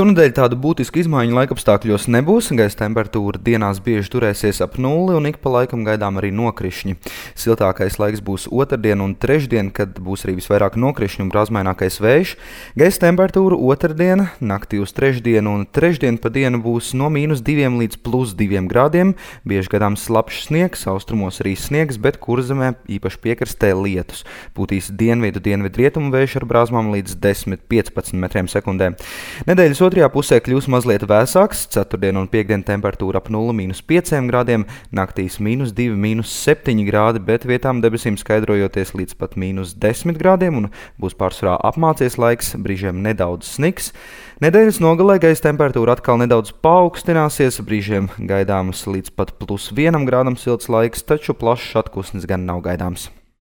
Šonedēļ tādu būtisku izmaiņu laikapstākļos nebūs. Gaisa temperatūra dienās bieži turēsies ap nulli un ik pa laikam gaidām arī nokrišņi. Siltākais laiks būs otrdien un trešdien, kad būs arī visvairāk nokrišņu un brāzmainākais vējš. Gaisa temperatūra otrdien, naktī uz trešdienu un trešdien pa dienu būs no -2 līdz +2 grādiem. Bieži gaidāms slapjš sniegs, austrumos arī sniegs, bet kurzemē īpaši piekrastē lietus. Pūtīs dienvidu-dienvidrietumu vējš ar brāzmām līdz 10–15 metriem sekundē. Nedēļas otrajā pusē kļūs mazliet vēsāks, ceturtdien un piektdien temperatūra ap 0–5 grādiem, naktīs -2–7 grādi, bet vietām debesīm skaidrojoties līdz pat -10 grādiem un būs pārsvarā apmācies laiks, brīžiem nedaudz sniks. Nedēļas nogalē gaisa temperatūra atkal nedaudz paaugstināsies, brīžiem gaidāms līdz pat +1 grādam silts laiks, taču plašs atpūsnis gan nav gaidāms.